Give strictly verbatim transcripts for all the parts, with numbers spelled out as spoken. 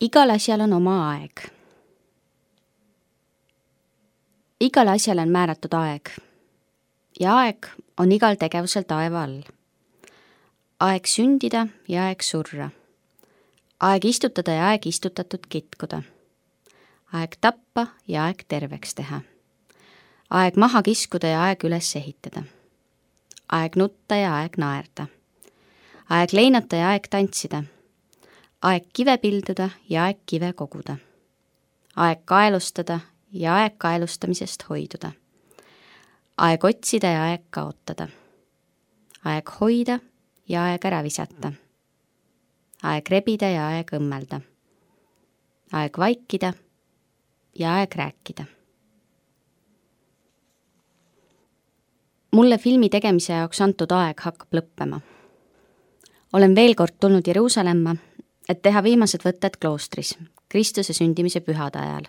Igal asjal on oma aeg. Igal asjal on määratud aeg ja aeg on igal tegevusel taeva all. Aeg sündida ja aeg surra. Aeg istutada ja aeg istutatud kitkuda. Aeg tappa ja aeg terveks teha. Aeg maha kiskuda ja aeg üles ehitada. Aeg nutta ja aeg naerda. Aeg leinata ja aeg tantsida. Aeg kive pilduda ja aeg kive koguda. Aeg kaelustada ja aeg kaelustamisest hoiduda. Aeg otsida ja aeg kaotada. Aeg hoida ja aeg ära visata. Aeg rebida ja aeg õmmelda. Aeg vaikida ja aeg rääkida. Mulle filmi tegemise jaoks antud aeg hakkab lõppema. Olen veel kord tulnud Jeruusalemma, et teha viimased võtted kloostris, Kristuse sündimise pühade ajal.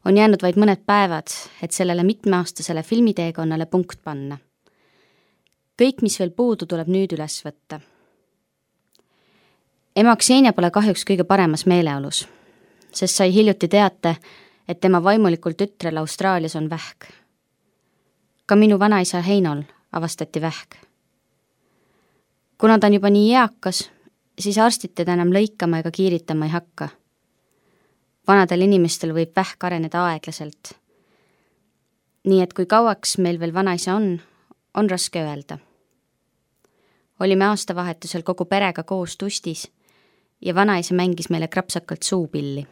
On jäänud vaid mõned päevad, et sellele mitmeaastasele filmiteekonnale punkt panna. Kõik, mis veel puudu, tuleb nüüd üles võtta. Ema Ksenia pole kahjuks kõige paremas meeleolus, sest sai hiljuti teate, et tema vaimulikul tütrel Austraalias on vähk. Ka minu vanaisa Heinol avastati vähk. Kuna ta on juba nii eakas, siis arstid teda enam lõikama ega kiiritama ei hakka. Vanadel inimestel võib vähk areneda aeglaselt. Nii et kui kauaks meil veel vanaisa on, on raske öelda. Olime aastavahetusel kogu perega koos tustis ja vanaisa mängis meile krapsakalt suupilli.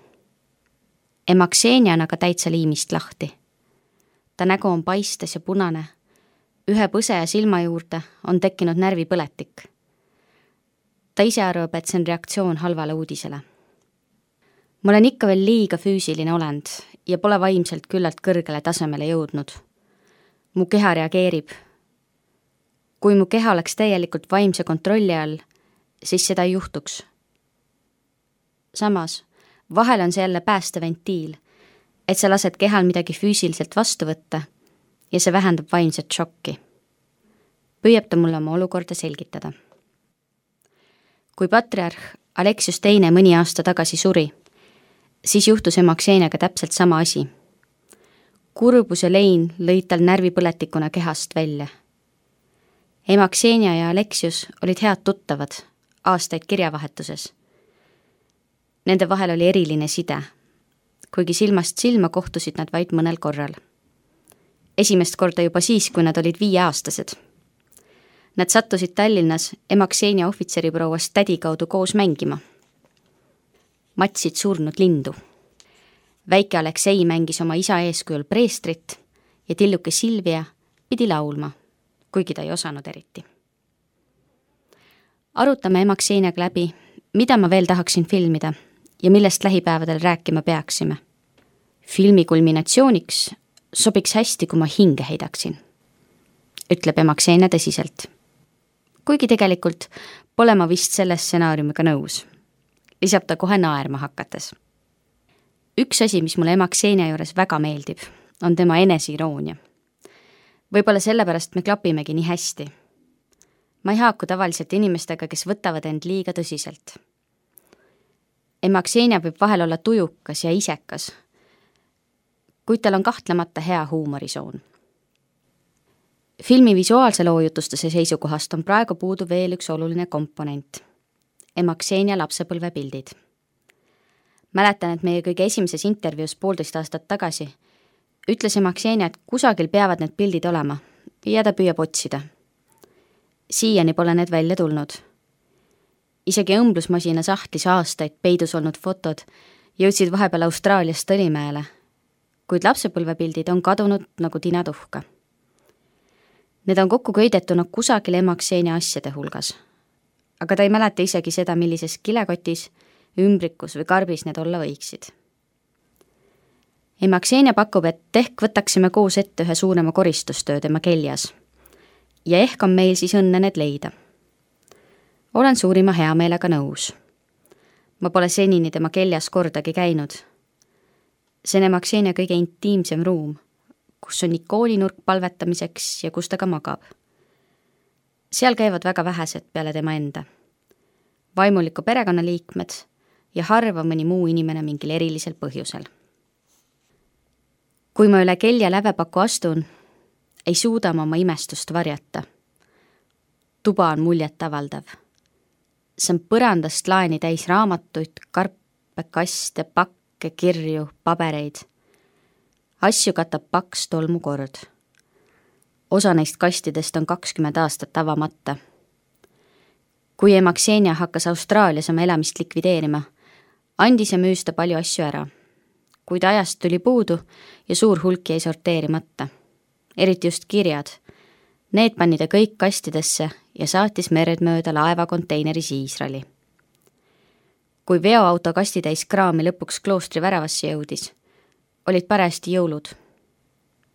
Ema Ksenia on aga täitsa liimist lahti. Ta nägu on paistes ja punane. Ühe põse ja silma juurde on tekkinud närvipõletik. Ta ise arvab, et see on reaktsioon halvale uudisele. Ma olen ikka veel liiga füüsiline olend ja pole vaimselt küllalt kõrgele tasemele jõudnud. Mu keha reageerib. Kui mu keha oleks täielikult vaimse kontrolli all, siis seda ei juhtuks. Samas, vahel on see jälle päästeventiil, et sa lased kehal midagi füüsiliselt vastu võtta ja see vähendab vaimset šokki. Püüab ta mulle oma olukorda selgitada. Kui patriarh Aleksius teine mõni aasta tagasi suri, siis juhtus ema Kseniaga täpselt sama asi. Kurbus ja lein lõid tal närvipõletikuna kehast välja. Ema Ksenia ja Aleksius olid head tuttavad, aastaid kirjavahetuses. Nende vahel oli eriline side, kuigi silmast silma kohtusid nad vaid mõnel korral. Esimest korda juba siis, kui nad olid viieaastased. Nad sattusid Tallinnas ema Ksenia ohvitseriprouvast tädi kaudu koos mängima. Matsid surnud lindu. Väike Aleksei mängis oma isa eeskujul preestrit ja tilluke Silvia pidi laulma, kuigi ta ei osanud eriti. Arutame ema Kseniaga läbi, mida ma veel tahaksin filmida ja millest lähipäevadel rääkima peaksime. Filmi kulminatsiooniks sobiks hästi, kui ma hinge heidaksin, ütleb ema Ksenia tõsiselt. Kuigi tegelikult pole ma vist selle stsenaariumiga nõus. Lisab ta kohe naerma hakates. Üks asi, mis mulle ema Ksenia juures väga meeldib, on tema eneseiroonia. Võib-olla sellepärast me klapimegi nii hästi. Ma ei haaku tavaliselt inimestega, kes võtavad end liiga tõsiselt. Ema Ksenia võib vahel olla tujukas ja isekas, kuid tal on kahtlemata hea huumorisoon. Filmi visuaalse loojutustuse seisukohast on praegu puudu veel üks oluline komponent. Ema Ksenia lapsepõlvepildid. Mäletan, et meie kõige esimeses intervjuus poolteist aastat tagasi ütles ema Ksenia, et kusagil peavad need pildid olema ja ta püüab otsida. Siiani pole need välja tulnud. Isegi õmblusmasina sahtlis aastaid peidus olnud fotod jõudsid vahepeal Austraaliast Tõlimäele, kuid lapsepõlvepildid on kadunud nagu tinatuhka. Need on kokku köidetuna kusagil ema Ksenia asjade hulgas, aga ta ei mäleta isegi seda, millises kilekotis, ümbrikus või karbis need olla võiksid. Ema Ksenia pakub, et ehk võtaksime koos ette ühe suurema koristustöö tema keljas ja ehk on meil siis õnne need leida. Olen suurima heameelega nõus. Ma pole senini tema keljas kordagi käinud. See on ema Ksenia kõige intiimsem ruum, kus on ikoolinurk palvetamiseks ja kus ta ka magab. Seal käivad väga vähesed peale tema enda. Vaimuliku perekonnaliikmed ja harva mõni muu inimene mingil erilisel põhjusel. kui ma üle Kelja lävepaku astun, ei suuda ma oma imestust varjata. Tuba on muljet avaldav. See on põrandast laeni täis raamatuid, karpe, kaste, pakke, kirju, pabereid. Asju katab paks tolmukord. Osa neist kastidest on kakskümmend aastat avamata. Kui ema Ksenia hakkas Austraalias oma elamist likvideerima, andis ja müüs ta palju asju ära. Kuid ajast tuli puudu ja suur hulk jäi sorteerimata. Eriti just kirjad. Need pani ta kõik kastidesse ja saatis mered mööda laeva konteineris Iisraeli. Kui veoauto kastitäis kraami lõpuks kloostri väravasse jõudis, olid parajasti jõulud.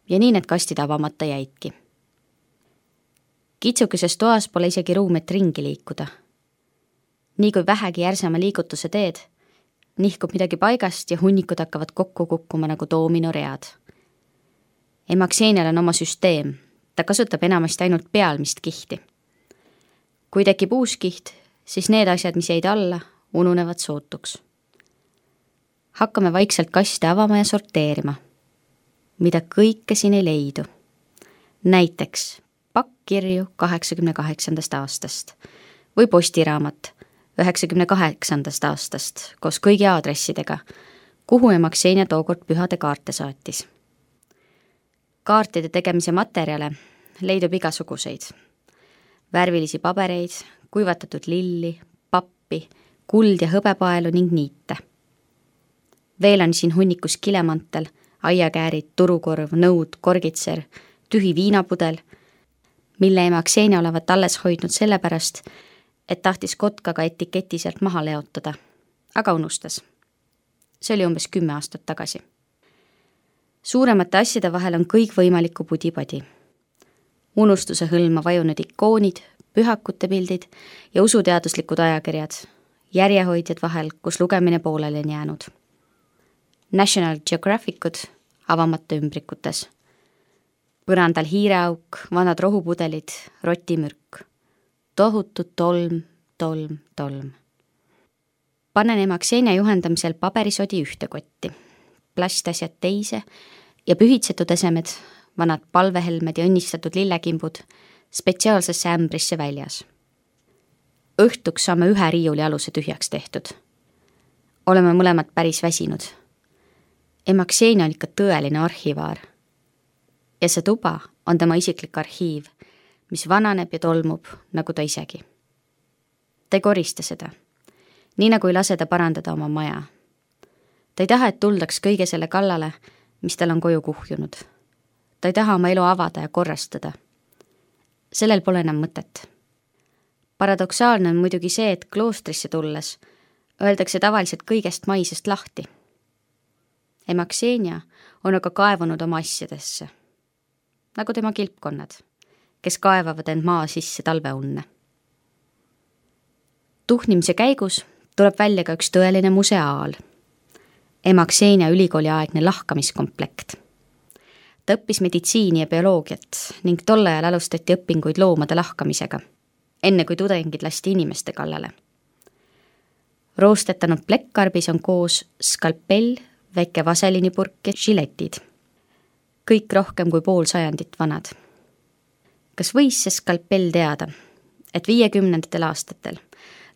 Ja nii need kastid avamata jäidki. Kitsukeses toas pole isegi ruum, et ringi liikuda. Nii kui vähegi järsema liigutuse teed, nihkub midagi paigast ja hunnikud hakkavad kokku kukkuma nagu doominoread. Ema Ksenial on oma süsteem. Ta kasutab enamasti ainult pealmist kihti. Kui tekib uus kiht, siis need asjad, mis jäid alla, ununevad sootuks. Hakkame vaikselt kaste avama ja sorteerima. Mida kõike siin ei leidu. Näiteks pakk kirju kaheksakümne kaheksandast aastast või postiraamat üheksakümne kaheksandast aastast koos kõigi aadressidega, kuhu ema Ksenia tookord pühade kaarte saatis. Kaartide tegemise materjale leidub igasuguseid. Värvilisi pabereid, kuivatatud lilli, pappi, kuld ja hõbepaelu ning niite. Veel on siin hunnikus kilemantel, aiakäärid, turukorv, nõud, korgitser, tühi viinapudel, mille ema Ksenia olevat alles hoidnud sellepärast, et tahtis kotkaga etiketi sealt maha leotada, aga unustas. See oli umbes kümme aastat tagasi. Suuremate asjade vahel on kõik võimalikku pudipadi. Unustuse hõlma vajunud ikoonid, pühakute pildid ja usuteaduslikud ajakirjad, järjehoidjad vahel, kus lugemine pooleli on jäänud. National Geographicud avamata ümbrikutes. Põrandal hiireauk, vanad rohupudelid, rotimürk. Tohutu tolm, tolm, tolm. Panen ema Ksenia juhendamisel paberisodi ühte kotti, plastasjad teise ja pühitsetud esemed, vanad palvehelmed ja õnnistatud lillekimbud spetsiaalsesse ämbrisse väljas. Õhtuks saame ühe riiuli aluse tühjaks tehtud. Oleme mõlemad päris väsinud. Ema Ksenia on ikka tõeline arhivaar. Ja see tuba on tema isiklik arhiiv, mis vananeb ja tolmub, nagu ta isegi. Ta ei korista seda, nii nagu ei lase ta parandada oma maja. Ta ei taha, et tuldaks kõige selle kallale, mis tal on koju kuhjunud. Ta ei taha oma elu avada ja korrastada. Sellel pole enam mõtet. Paradoksaalne on muidugi see, et kloostrisse tulles öeldakse tavaliselt kõigest maisest lahti. Ema Ksenia on aga kaevunud oma asjadesse, nagu tema kilpkonnad, kes kaevavad end maa sisse talveunne. Tuhnimise käigus tuleb välja ka üks tõeline museaal. Ema Ksenia ülikooliaegne lahkamiskomplekt. Ta õppis meditsiini ja bioloogiat ning tol ajal alustati õpinguid loomade lahkamisega, enne kui tudengid lasti inimeste kallale. Roostetanud plekkarbis on koos skalpell, väike vaselinipurk ja žiletid. Kõik rohkem kui pool sajandit vanad. Kas võis see skalpell teada, et viiekümnendatel aastatel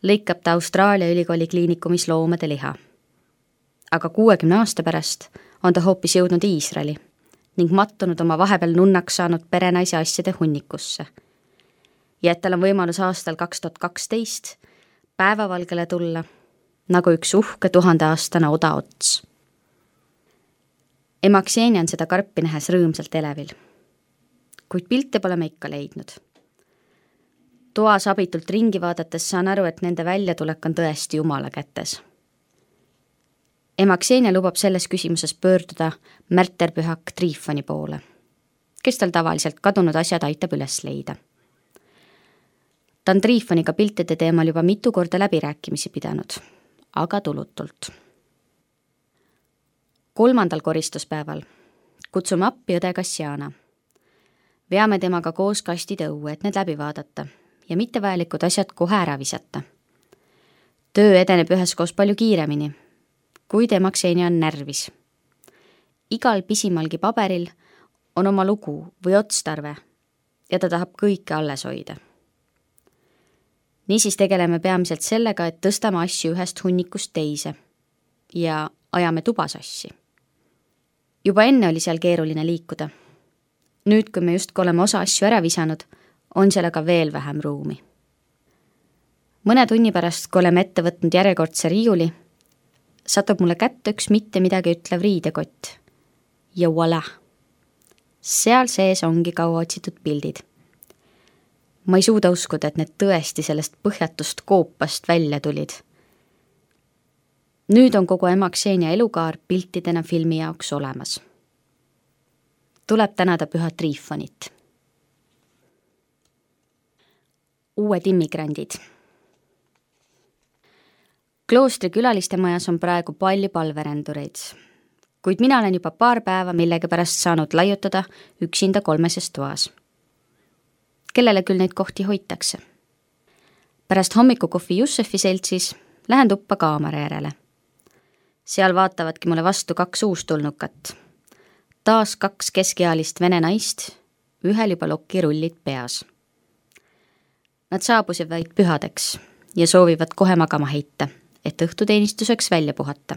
lõikab ta Austraalia ülikooli kliinikumis loomade liha. Aga kuuekümne aasta pärast on ta hoopis jõudnud Iisraeli ning mattunud oma vahepeal nunnaks saanud perenaise asjade hunnikusse. Ja et tal on võimalus aastal kaks tuhat kaksteist päevavalgele tulla nagu üks uhke tuhandeaastane odaots. Ema Ksenia on seda karpi nähes rõõmsalt elevil, kuid pilte pole me ikka leidnud. Toas abitult ringi vaadates saan aru, et nende väljatulek on tõesti Jumala kätes. Ema Ksenia lubab selles küsimuses pöörduda märterpühak Triifoni poole, kes tal tavaliselt kadunud asjad aitab üles leida. Ta on Triifoniga piltide teemal juba mitu korda läbirääkimisi pidanud, aga tulutult. Kolmandal koristuspäeval kutsume appi õde Kassiana. Veame temaga koos kastid õue, et need läbi vaadata ja mittevajalikud asjad kohe ära visata. töö edeneb üheskoos palju kiiremini, kuid ema Ksenia on närvis. Igal pisimalgi paberil on oma lugu või otstarve ja ta tahab kõike alles hoida. Niisiis tegeleme peamiselt sellega, et tõstame asju ühest hunnikust teise ja ajame tubasassi. Juba enne oli seal keeruline liikuda. Nüüd, kui me just oleme osa asju ära visanud, on seal aga veel vähem ruumi. Mõne tunni pärast, kui oleme ette võtnud järjekordse riiuli, satub mulle kätte üks mitte midagi ütlev riidekott. Ja voilà! Seal sees ongi kaua otsitud pildid. Ma ei suuda uskuda, et need tõesti sellest põhjatust koopast välja tulid. Nüüd on kogu ema Ksenia elukaar piltidena filmi jaoks olemas. Tuleb tänada püha Trifonit. Uued immigrandid. Kloostri külaliste majas on praegu palju palverendureid, kuid mina olen juba paar päeva millegi pärast saanud laiutada üksinda kolmeses toas. Kellele küll neid kohti hoitakse. Pärast hommikukohvi Jussefi seltsis lähen tuppa kaamera järele. Seal vaatavadki mulle vastu kaks uustulnukat. Taas kaks keskealist vene naist, ühel juba lokirullid peas. Nad saabusid vaid pühadeks ja soovivad kohe magama heita, et õhtuteenistuseks välja puhata.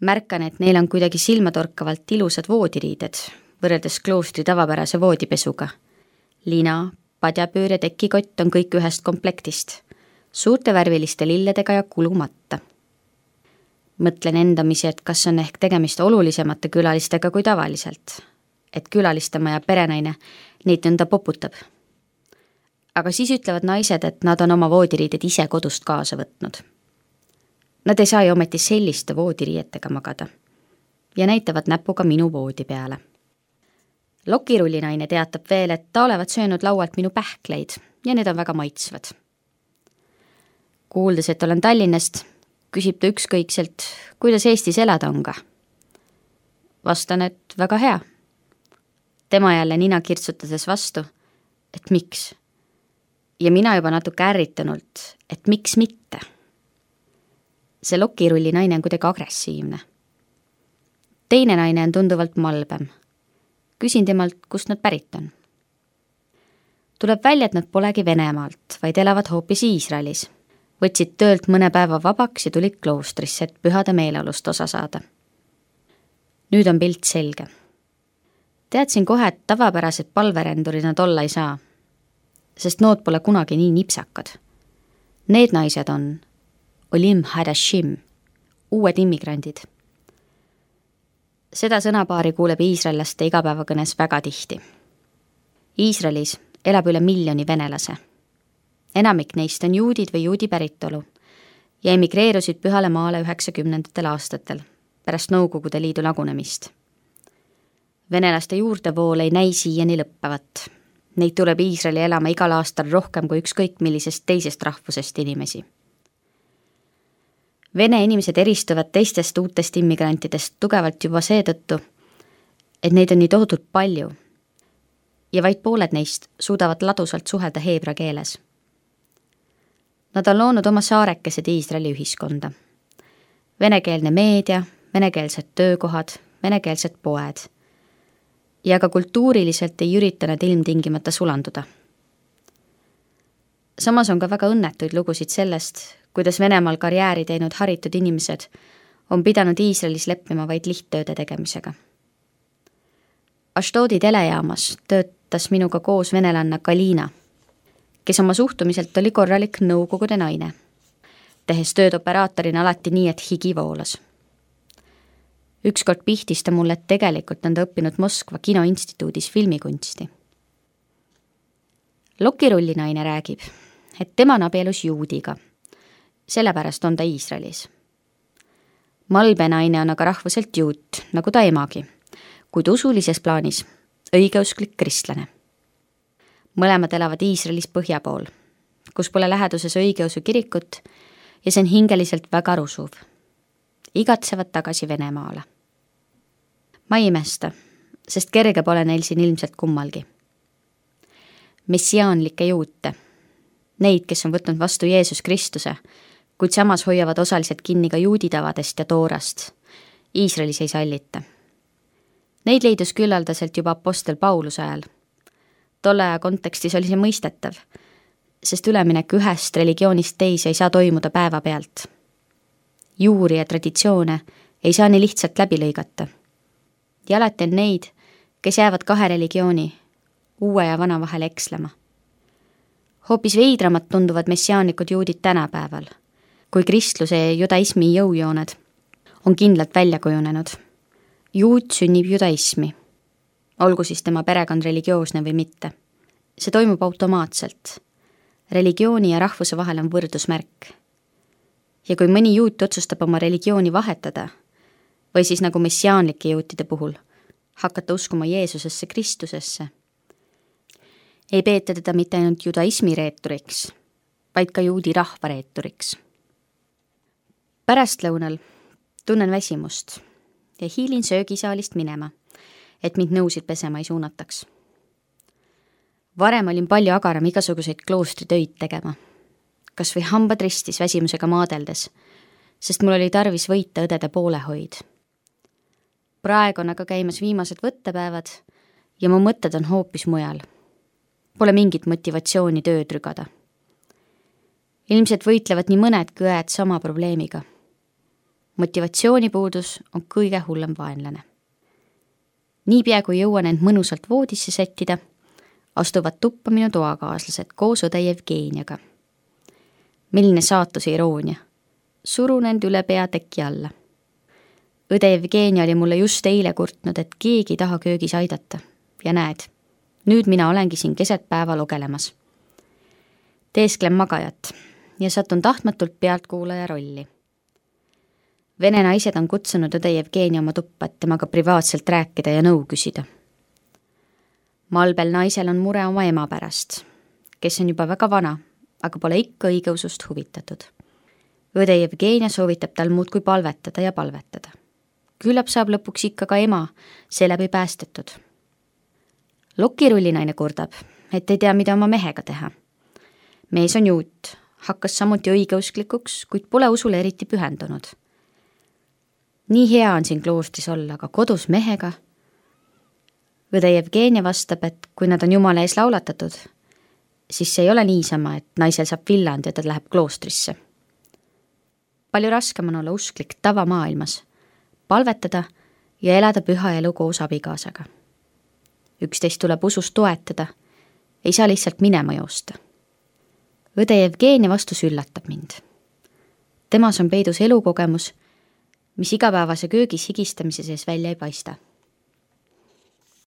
Märkan, et neil on kuidagi silmatorkavalt ilusad voodiriided, võrreldes kloostri tavapärase voodipesuga. Lina, padjapöör ja tekikott on kõik ühest komplektist, suurte värviliste lilledega ja kulumatta. Mõtlen endamisi, et kas on ehk tegemist olulisemate külalistega kui tavaliselt, et külalistemaja perenaine neid nõnda poputab. Aga siis ütlevad naised, et nad on oma voodiriided ise kodust kaasa võtnud. Nad ei saa ju ometi selliste voodiriietega magada ja näitavad näpuga minu voodi peale. Lokirullinaine teatab veel, et ta olevat söönud laualt minu pähkleid ja need on väga maitsvad. Kuuldes, et olen Tallinnast, küsib ta ükskõikselt, kuidas Eestis elada on ka. Vastan, et väga hea. Tema jälle nina kirtsutades vastu, et miks. Ja mina juba natuke ärritunult, et miks mitte. See lokirulli naine on kuidagi agressiivne. Teine naine on tunduvalt malbem. Küsin temalt, kust nad pärit on. Tuleb välja, et nad polegi Venemaalt, vaid elavad hoopis Iisraelis. Võtsid töölt mõne päeva vabaks ja tulid kloostrisse, et pühade meeleolust osa saada. Nüüd on pilt selge. Teadsin kohe, et tavapärased palverendurid nad olla ei saa, sest nood pole kunagi nii nipsakad. Need naised on Olim Hadashim, uued immigrandid. Seda sõnapaari kuuleb iisraellaste igapäevakõnes väga tihti. Iisraelis elab üle miljoni venelase. Enamik neist on juudid või juudi päritolu ja emigreerusid pühale maale üheksakümnendatel aastatel pärast Nõukogude Liidu lagunemist. Venelaste juurdevool ei näi siiani lõppevat. Neid tuleb Iisraeli elama igal aastal rohkem kui ükskõik millisest teisest rahvusest inimesi. Vene inimesed eristuvad teistest uutest immigrantidest tugevalt juba seetõttu, et neid on nii tohutult palju ja vaid pooled neist suudavad ladusalt suhelda heebra keeles. Nad on loonud oma saarekesed Iisraeli ühiskonda. Venekeelne meedia, venekeelsed töökohad, venekeelsed poed. Ja ka kultuuriliselt ei ürita nad ilmtingimata sulanduda. Samas on ka väga õnnetuid lugusid sellest, kuidas Venemaal karjääri teinud haritud inimesed on pidanud Iisraelis leppima vaid lihttööde tegemisega. Ashdodi telejaamas töötas minuga koos venelanna Kalina, kes oma suhtumiselt oli korralik nõukogude naine, tehes tööd operaatorina alati nii, et higi voolas. Ükskord pihtis ta mulle, et tegelikult on ta õppinud Moskva kinoinstituudis filmikunsti. Lokirullinaine räägib, et tema on abielus juudiga, sellepärast on ta Iisraelis. Malbe naine on aga rahvuselt juut, nagu ta emagi, kuid usulises plaanis õigeusklik kristlane. Mõlemad elavad Iisraelis põhja pool, kus pole läheduses õigeusu kirikut ja see on hingeliselt väga rusuv. Igatsevad tagasi Venemaale. Ma ei imesta, sest kerge pole neil siin ilmselt kummalgi. Messiaanlikke juute, Neid, kes on võtnud vastu Jeesus Kristuse, kuid samas hoiavad osaliselt kinni ka juudi tavadest ja toorast. Iisraelis ei sallita. Neid leidus küllaldaselt juba apostel Pauluse ajal. Tolle aja kontekstis oli see mõistetav, sest üleminek ühest religioonist teise ei saa toimuda päeva pealt. Juuri ja traditsioone ei saa nii lihtsalt läbi lõigata. Ja alati on neid, kes jäävad kahe religiooni, uue ja vana vahel ekslema. Hoopis veidramad tunduvad messiaanlikud juudid tänapäeval, kui kristluse ja judaismi jõujooned on kindlalt välja kujunenud. Juut sünnib judaismi, olgu siis tema perekond religioosne või mitte. See toimub automaatselt. Religiooni ja rahvuse vahel on võrdusmärk. Ja kui mõni juut otsustab oma religiooni vahetada, või siis nagu messiaanlike juutide puhul, hakata uskuma Jeesusesse Kristusesse, ei peeta teda mitte ainult judaismi reeturiks, vaid ka juudi rahva reeturiks. Pärastlõunal tunnen väsimust ja hiilin söögisaalist minema, et mind nõusid pesema ei suunataks. Varem olin palju agaram igasuguseid kloostritöid tegema, kas või hambad ristis väsimusega maadeldes, sest mul oli tarvis võita õdede poolehoid. Praegu on aga käimas viimased võttepäevad ja mu mõtted on hoopis mujal. Pole mingit motivatsiooni tööd rügada. Ilmselt võitlevad nii mõnedki õed sama probleemiga. Motivatsioonipuudus on kõige hullem vaenlane. Niipea kui jõuan end mõnusalt voodisse sättida, astuvad tuppa minu toakaaslased koos õde Jevgeeniaga. Milline saatuse iroonia. Surun end üle pea teki alla. Õde Jevgeenia oli mulle just eile kurtnud, et keegi ei taha köögis aidata. Ja näed, nüüd mina olengi siin keset päeva logelemas. Teesklen magajat ja satun tahtmatult pealtkuulaja rolli. Vene naised on kutsunud õde Jevgeenia oma tuppa, et temaga privaatselt rääkida ja nõu küsida. Malbel naisel on mure oma ema pärast, kes on juba väga vana, aga pole ikka õigeusust huvitatud. Õde Jevgeenia soovitab tal muudkui palvetada ja palvetada. Küllap saab lõpuks ikka ka ema seeläbi päästetud. Lokirullinaine kurdab, et ei tea, mida oma mehega teha. Mees on juut, hakkas samuti õigeusklikuks, kuid pole usule eriti pühendunud. Nii hea on siin kloostris olla, aga kodus mehega. Õde Jevgeenia vastab, et kui nad on Jumala ees laulatatud, siis see ei ole niisama, et naisel saab villand ja ta läheb kloostrisse. Palju raskem on olla usklik tavamaailmas, palvetada ja elada püha elu koos abikaasaga. Üksteist tuleb usust toetada, ei saa lihtsalt minema joosta. Õde Jevgeenia vastus üllatab mind. Temas on peidus elukogemus, mis igapäevase köögis higistamise sees välja ei paista.